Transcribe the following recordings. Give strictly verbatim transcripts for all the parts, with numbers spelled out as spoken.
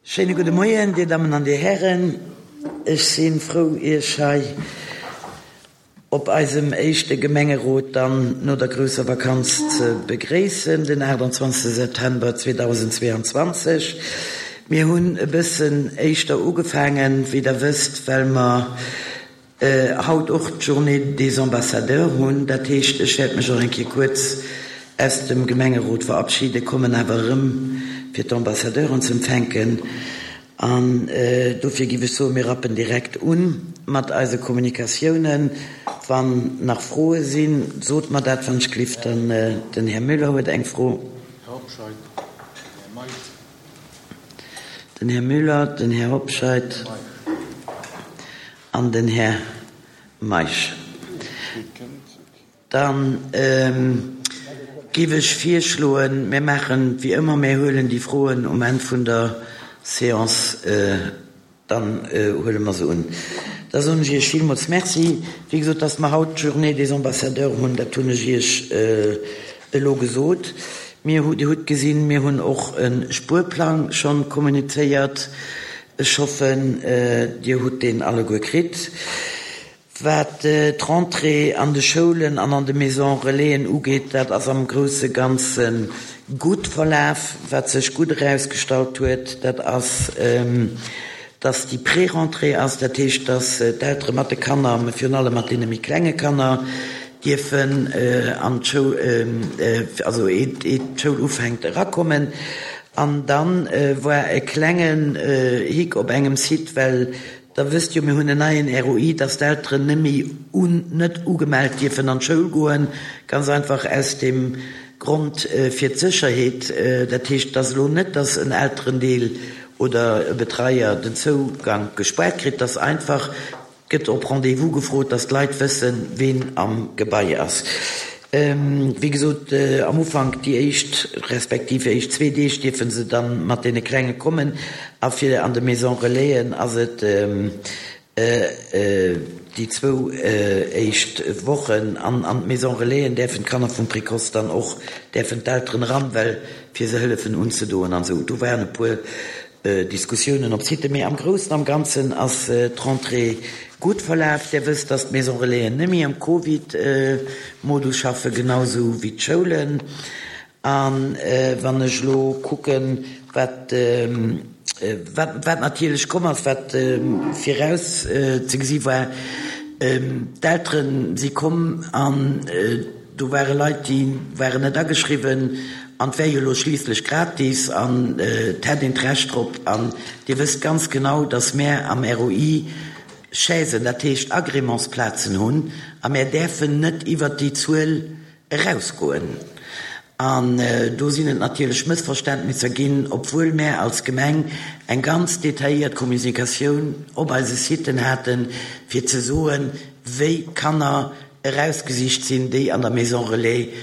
Schéine gudde Moien, Dir Dammen an Dir Hären. Ech si frou, Iech hei op eisem éischte Gemengerot dann no der grousser Vakanz ze begréissen, den aachtanzwanzegste September zweedausendzweeanzwanzeg. Mir hunn e bëssen éischter ugefaangen, wéi Der wësst, well mer haut och d'Journée des Ambassadeurs hunn. Dat heescht, ech wäert mech och eng Kéier kuerz aus dem Gemengerot verabschieden, kommen awer erëm, fir d'Ambassadeuren ze empfänken. An dofir giff ech soen, mir rappen direkt un mat eise Kommunikatiounen. Wann nach Froe sinn, sot mer dat, wann ech glift. Dann den Här Müller huet eng Fro. Här Hobscheit, Här Meisch. Den Här Müller, den Här Hobscheit an den Här Meisch. Da géif ech virschloen, mir maachen wéi ëmmer, mir huelen déi Froen um Enn vun der Séance, dann huele mer se un. Da soen ech Iech villmools Merci. Wéi gesot, dass mer haut d'Journée des Ambassadeurs hunn, dat hunn ech Iech elo gesot. Mir hu, Dir hutt gesinn, mir hunn och e Spuerplang schonn kommunizéiert. Ech hoffen, Dir hutt deen alleguer kritt. Wat d'Rentrée an de Schoulen an an de Maisons Relaisen ugeet, dat ass am grousse Ganze gutt verlaf. Wat sech gutt erausgestallt huet, dat ass, dass déi Pré-Rentrée ass, dat heescht, dass d'Eltere mat de Kanner, mä virun allem mat deene méi klenge Kanner, dierfen an d'Schoul, also eet d'Schoul ufänkt, erakommen. An da war e klengen Hick op engem Site, well Der wësst jo, mir hunn en neien R O I, dass d'Elteren net méi un, net ugemellt dierfen an d'Schoul goen, ganz einfach aus dem Grond fir d'Sécherheet. Dat heescht, et ass elo net, dass en Elterendeel oder e Betreier den Zougank gespaart kritt, dass einfach gëtt op Rendez-vous gefrot, dass d'Leit wëssen, ween am Gebai ass. Wéi gesot, am Ufank déi éischt, respektiv éischt zwee Deeg dierfe se da mat deene Klenge kommen. A fir an de Maison Relaisen ass et déi zwou éischt Wochen. An an d'Maison Relaisen däerfen d'Kanner vum Précoce dann och, däerfen d'Elteren eran, well fir se hëllefen unzedoen an esou. Do waren e puer Diskussiounen op Site, mee am Groussen am Ganzen ass d'Rentrée gutt verlaf. Där wësst, dass d'Maison Relaisen net méi am Covid-Modus schaffen, genau esou wéi d'Schoulen. A wann ech elo kucken, wat wat natierlech komm ass, wat viraus ze gesi war, d'Eltere si komm an do ware Leit, déi waren net ageschriwwen an et wär jo elo schliisslech gratis an et hätt een d'Recht drop. An Dir wësst ganz genau, dass mär am R O I Chaisen, dat heescht Agrémentsplazen hunn a mär däerfen net iwwert déi Zuel erausgoen. An do sinn et natierlech Mëssverständnisser ginn, obwuel mär als Gemeng eng ganz detailléiert Kommunikatioun op eise Siten haten, fir ze soen, wéi Kanner erausgesicht sinn, déi an der Maison Relais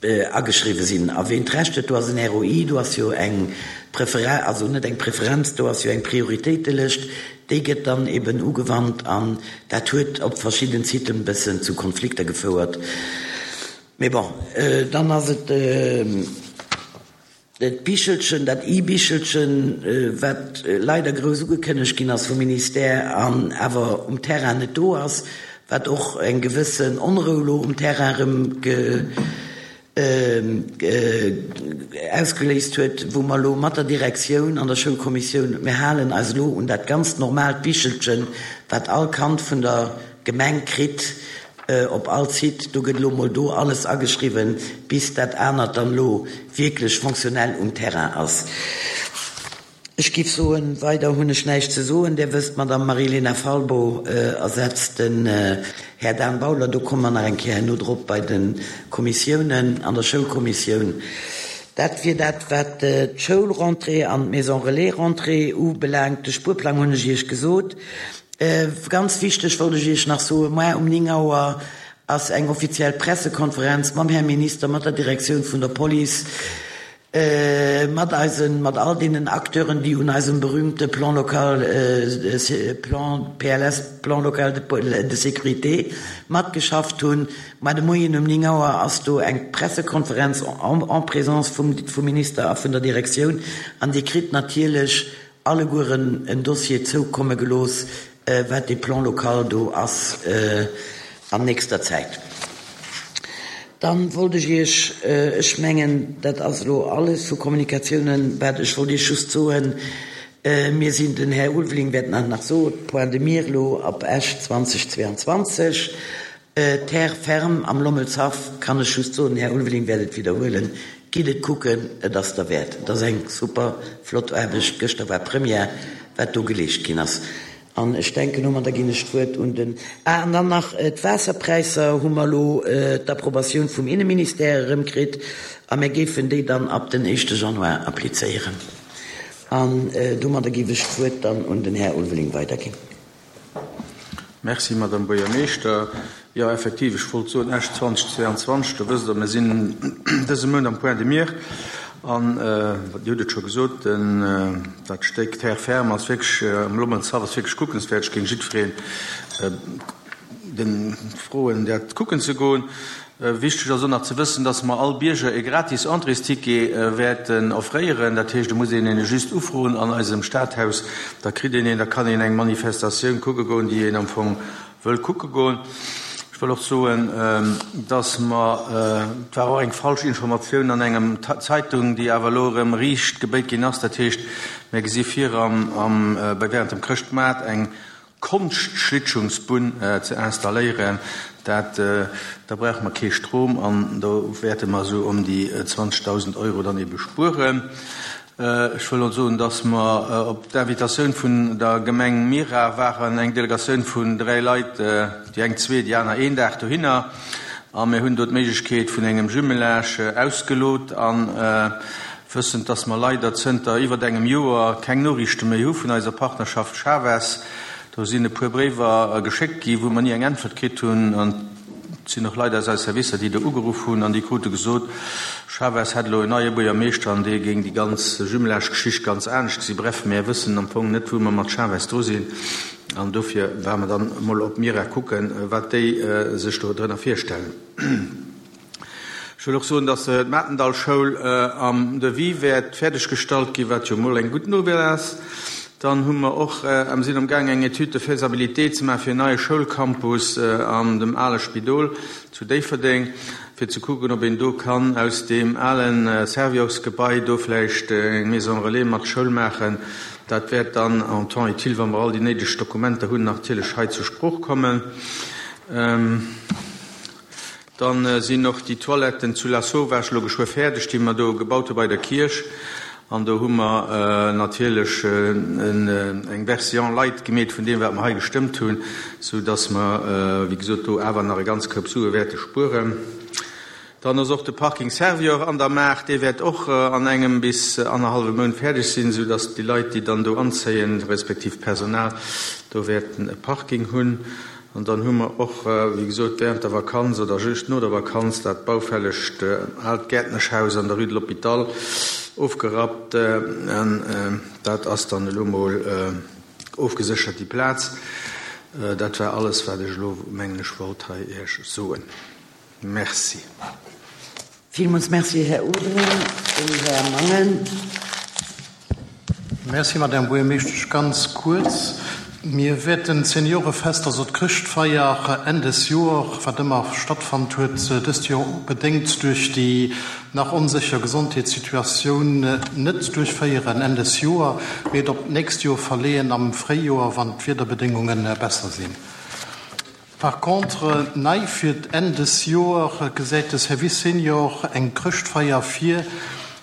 ageschriwwe sinn a ween d'Recht huet. Do ass en R O I, do ass jo eng Preferenz, also net eng Preferenz, do ass jo eng Prioritéitelëscht, déi gëtt dann eben ugewannt an dat huet op verschidden Siten e bëssen zu Konflikter gefouert. Mee bon, dann ass et d'Bichelchen, dat E-Bichelchen, wat leider grouss ugekënnegt ginn ass vum Ministère an awer um Terrain net do ass, wat och eng gewëssen Onrou elo um Terrain erëm ausgeléist huet, wou mer elo mat der Direktioun an der Schoulkommissioun, mir halen eis elo un dat ganz normaalt Bichelchen, wat all Kand vun der Gemeng kritt op all Site. Do gëtt elo mol do alles ageschriwwen, bis dat anert dann elo wierklech fonctionnel um Terrain ass. Ech giff soen, weider hunn ech näischt ze soen. Där wësst, d'Madame Marie-Lena Falbo ersetzt den Här Dan Bauler. Do komme mer nach eng Kéier herno drop bei de Kommissiounen, an der Schoulkommissioun. Dat wier dat, wat d'Schoulrentrée an d'Maison Relais-Rentrée ubelaangt. De Spuerplang hunn ech Iech gesot. Ganz wichteg wollt ech Iech nach soen, Moar um néng Auer ass eng offiziell Pressekonferenz mam Här Minister, mat der Direktioun vun der Police. Mat eisen, mat all deenen Acteuren, déi un eisem berühmte Plan local, Plan P L S, Plan local de sécurité, matgeschafft hunn. Mar de Moien um néng Auer ass do eng Pressekonferenz en présence vum Minister a vun der Direktioun an Dir kritt natierlech allegueren en Dossier zoukomme gelooss, wat dee Plan local do ass an nächster Zäit. Dann wollt ech Iech, ech mengen, dat ass elo alles vu Kommunikatiounen, wat ech wollt Iech just soen, mir sinn, den Här Ulveling wäert nach nach soen, Point de mire elo op Esch zweitausendzweiundzwanzeg, Terre ferme am Lommelshaff, kann ech just soen, den Här Ulveling wäert et widderhuelen, gitt et kucken, et ass derwäert. Et ass eng super flott Aarbecht, gëschter war Première, wat do geleescht ginn ass. An ech denken, domadder ginn ech d'Wuert un den. Ah, an dann nach d'Waasserpräisser hu mer elo d'Approbatioun vum Inneministère erëmkritt a mir géifen déi dann ab den éischte Januar applizéieren. An domadder géif ech d'Wuert dann un den Här Ulveling weiderginn. Merci, Madame Buergermeeschter. Jo, effektiv, ech wollt soen, Esch zweitausendzweiundzwanzeg, do wësst Der, mir sinn dëse Mount am Point de mire. An Dir hutt et scho gesot, dat Stéck Terre ferme ass wierklech am Lommelshaff ass wierklech kuckenswäert. Ech géing jiddwereen den froen, dat kucken ze goen. Wichteg ass och nach ze wëssen, dass mer all Bierger e gratis Entréesticket wäerten offréieren. Dat heescht, et muss een een just ufroen an eisem Stadhaus, da kritt een een, da kann een eng Manifestatioun kucke goen, déi een am Fong wëll kucke goen. Ech wëll och soen, dass mer, et war och eng falsch Informatioun an engem Zeitung, déi awer elo erëm riicht gebéit ginn ass, dat heescht, mir gesi vir am, am, bei während dem Chrëschtmaart eng Konschtschlittschungsbunn ze installéieren. Dat, da brauche mer kee Strom an do wäerte mer esou ëm déi zwanzegdausend Euro dann ebe spueren. Ech wëll och soen, dass mer op d'Invitatioun vun der Gemeng Mira waren eng Delegatioun vun dräi Leit, déi eng zwee, déi aner een Dag dohinner, a mir hunn do d'Méiglechkeet vun engem Jumelage ausgelot an wëssend, dass mer leider zënter iwwert engem Joer keng Noriichte méi hu vun eiser Partnerschaft Chaves. Do sinn e puer Bréiwer geschéckt gi wou mer ni eng Äntwert kritt hunn an et sinn och Leit aus eise Servicer, déi do ugeruff hunn an déi krute gesot, Chaves hätt elo en neie Buergermeeschter an dee géing déi ganz Jumelage-Geschicht ganz anescht gesi. Bref, mär wëssen am Fong net, wou mer mat Chaves dru sinn an dofir ware mer dann emol op Mira kucken, wat déi sech do drënner virstellen. Ech wëll och soen, dass d'Matendallschoul am Devis wäert fäerdeggestallt ginn, wat jo emol eng gutt Nouvelle ass. Dann hu mer och, mir sinn amgaang eng Étude de faisabilité ze maachen fir en neie Schoulcampus an dem ale Spidol zu Déifferdeng, fir ze kucken, ob een do kann aus deem ale Servior-Gebai do vläicht eng Maison relais mat Schoul maachen. Dat wäert dann en temps utile, wa mer all déi néideg Dokumenter hunn, natierlech hei zur Sprooch kommen. Dann sinn och déi Toiletten zu Lasauvage elo geschwë fäerdeg, déi mer do gebaut hu bei der Kierch. An do hu mer natierlech eng Version light gemeet vun deem, wat mer hei gestëmmt hunn, sou dass mer, wéi gesot, do awer nach e ganz Koup Sue wäerte spueren. Dann ass och de Parking Servior an der Maach, dee wäert och an engem bis annerhallwe Mount fäerdeg sinn, sou dass déi Leit, déi dann do anzéien, respektiv d'Personal, do wäerten e Parking hunn. An dann hu mer och, wéi gesot, während der Vakanz oder just no der Vakanz dat baufällegt aalt Gäertneschhaus an der Rue de l'Hôpital ofgerappt. An dat ass dann elo mol ofgeséchert, déi Plaz. Dat war alles, wat ech elo, mengen ech, wollt hei Iech soen. Merci. Villmools Merci, Här Ulveling. Den Här Mangen. Merci, Madame Buergermeeschtesch. Ganz kuerz, Mir wäerten d'Seniorefest, also d'Chrëschtfeier Enn des Joer, wat ëmmer stattfonnt huet, dëst Joer bedéngt duerch déi nach onsécher Gesondheetssituatioun net duerchféieren Enn des Joer, mee et op d'nächst Joer verleeën am Fréijoer, wann d'Wiederbedéngunge besser sinn. Par contre, nei fir d'Enn des Joer gesäit de Service Senior eng Chrëschtfeier vir,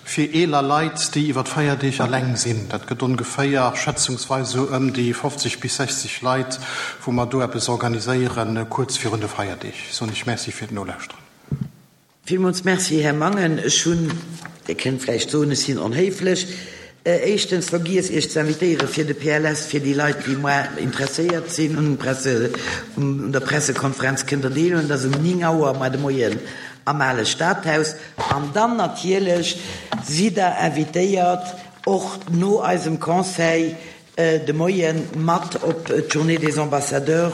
fir eeler Leit, déi iwwer d'Feierdeeg eleng sinn. Dat gëtt ongeféier schätzungsweis esou ëm déi fofzeg bis sechzeg Leit, wou mer do eppes organiséieren, kuerz virun de Feierdeeg. Soen ech Merci fir d'Nolauschteren. Villmools Merci, Här Mangen. Ech hunn, Dir kënnt vläicht soen, ech sinn onhéiflech, éischtens vergiess, Iech ze invitéiere fir de P L S, fir déi Leit, déi muer interesséiert sinn un Presse, un der Pressekonferenz kënnt Der deelhuelen. Dat ass um néng Auer muer de Moien am Ale Stadhaus. An dann natierlech sidd Der invitéiert, och no eisem Conseil de Moie mat op d'Journée des Ambassadeurs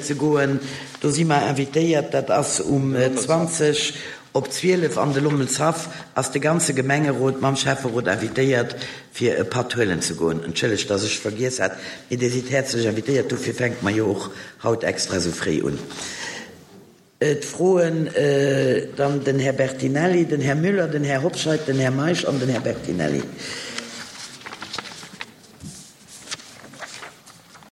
ze goen. Do si mer invitéiert, dat ass um zwanzeg op zwielef an de Lommelshaff, ass de ganze Gemengerot mam Schäfferot invitéiert, fir e Patt huelen ze goen. Entschëllegt, dass ech vergiess hat, mee Dir sidd häerzlech invitéiert, dofir fänke mer jo och haut extra esou fréi un. D'Froen dann den Här Bertinelli, den Här Müller, den Här Hobscheit, den Här Meisch an den Här Bertinelli.